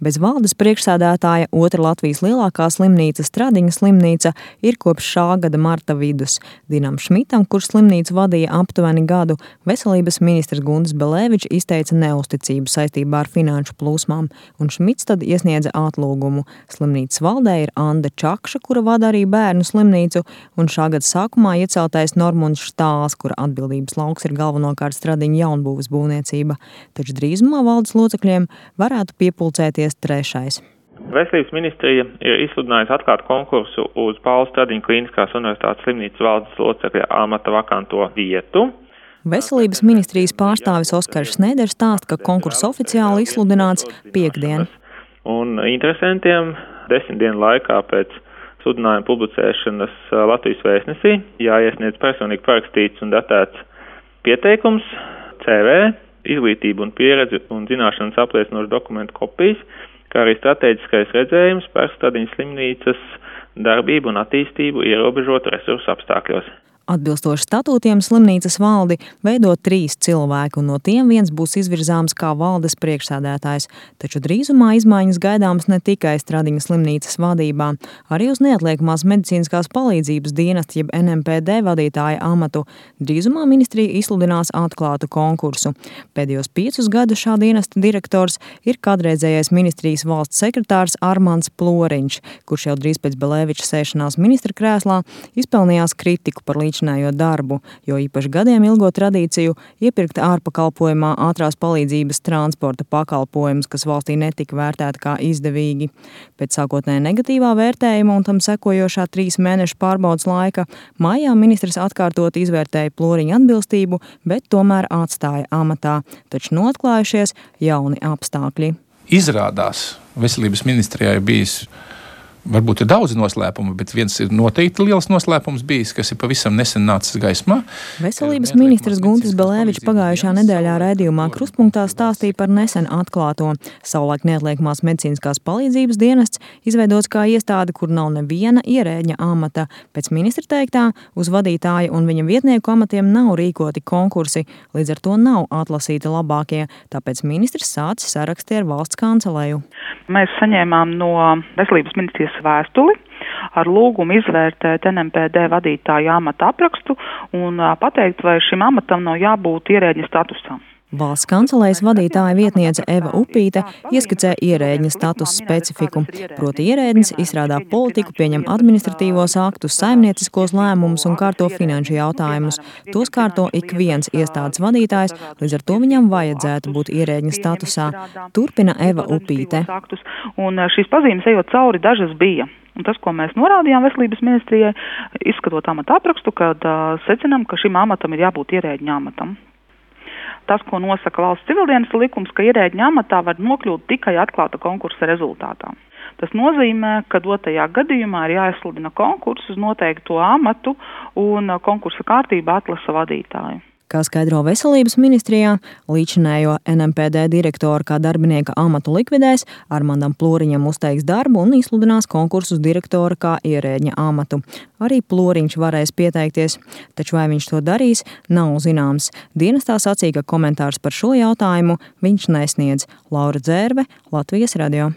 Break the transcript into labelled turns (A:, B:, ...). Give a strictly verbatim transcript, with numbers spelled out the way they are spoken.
A: Bez valdes priekšsēdētāja otra Latvijas lielākā slimnīca Stradiņa slimnīca ir kopš šā gada marta vidus. Dinam Šmitam, kurš slimnīcu vadīja aptuveni gadu, veselības ministrs Guntis Belēvičs izteica neusticību saistībā ar finanšu plūsmām, un Šmits tad iesniedza atlūgumu. Slimnīcas valdē ir Anda Čakša, kura vada arī bērnu slimnīcu, un šā gada sākumā ieceltais Normunds Štāls, kura atbildības lauks ir galvenokārt Stradiņa jaunbūves būvniecība. Taču drīzumā valdes locekļiem varētu piepulcēties trešais.
B: Veselības ministrija ir izsludinājusi atklāt konkursu uz Paula Stradiņa Klīniskās universitātes slimnīcas valdes locekļa amata vakanto vietu.
A: Veselības ministrijas pārstāvis Oskars Snēders stāsta, ka konkurss oficiāli izsludināts piekdien.
B: Un interesantiem desmit dienu laikā pēc sludinājuma publicēšanas Latvijas vēstnesī jāiesniedz personīgi parakstīts un datēts pieteikums, C V, izglītību un pieredzi un zināšanas apliecinošu dokumentu kopijas, kā arī strateģiskais redzējums par Stradiņas slimnīcas darbību un attīstību ierobežotu resursu apstākļos.
A: Atbilstoši statūtiem slimnīcas valdi veido trīs cilvēki, un no tiem viens būs izvirzāms kā valdes priekšsēdētājs. Taču drīzumā izmaiņas gaidāmas ne tikai Stradiņa slimnīcas vadībā, arī uz neatliekamās medicīniskās palīdzības dienesta jeb N M P D vadītāja amatu. Drīzumā ministrija izsludinās atklātu konkursu. Pēdējos piecus gadus šā dienesta direktors ir kādreizējais ministrijas valsts sekretārs Armands Ploriņš, kurš jau drīz pēc Belēviča sēšanās ministra krēslā izpelnījās kritiku par līdz darbu, jo īpaši gadiem ilgo tradīciju iepirkt ārpakalpojumā ātrās palīdzības transporta pakalpojumus, kas valstī netika vērtēti kā izdevīgi. Pēc sākotnēji negatīvā vērtējuma un tam sekojošā trīs mēnešu pārbaudas laika maijā ministrs atkārtot izvērtēja Ploriņa atbilstību, bet tomēr atstāja amatā, taču noatklājušies jauni apstākļi.
C: Izrādās, veselības ministrijā ir bijis varbūt ir daudz noslēpumu, bet viens ir noteikti liels noslēpums bijis, kas ir pavisam nesen nācis gaismā.
A: Veselības ministrs Guntis Belēvičs pagājušā nedēļā raidījumā Krustpunktā stāstīja par nesen atklāto. Savulaik neatliekamās medicīniskās palīdzības dienests izveidots kā iestāde, kur nav neviena ierēģņa amata. Pēc ministra teiktā, uz vadītāja un viņa vietnieku amatiem nav rīkoti konkursi, līdz ar to nav atlasīti labākie, tāpēc ministrs sācis saraksti ar valsts kanceleju.
D: Mēs saņēmām no veselības ministrijas vēstuli ar lūgumu izvērtēt N M P D vadītāja amata aprakstu un pateikt, vai šim amatam nav jābūt ierēģņa statusam.
A: Valsts kancelejas vadītāja vietniece Eva Upīte ieskicē ierēģņa status specifiku. Proti ierēdnis izstrādā politiku, pieņem administratīvos aktus, saimnieciskos lēmumus un kārto finanšu jautājumus. Tos kārto ik viens iestādes vadītājs, līdz ar to viņam vajadzētu būt ierēģņa statusā. Turpina Eva Upīte.
D: Un šīs pazīmes ejot cauri dažas bija. Un tas, ko mēs norādījām veselības ministrijai, izskatot amata aprakstu, kad uh, secinām, ka šim amatam ir jābūt ierēģņa amatam. Tas, ko nosaka valsts civildienas likums, ka ierēģņa amatā var nokļūt tikai atklāta konkursa rezultātā. Tas nozīmē, ka dotajā gadījumā ir jāizsludina konkurss uz noteikto amatu un konkursa kārtībā atlasa vadītāju.
A: Kā skaidro veselības ministrijā, līdzinējo N M P D direktoru kā darbinieka amatu likvidēs, Armandam Ploriņam uzteiks darbu un izsludinās konkursu uz direktora kā ierēģņa amatu. Arī Ploriņš varēs pieteikties, taču vai viņš to darīs, nav zināms. Dienestā sacīja, ka komentārs par šo jautājumu viņš nesniedz. Laura Dzērve, Latvijas radio.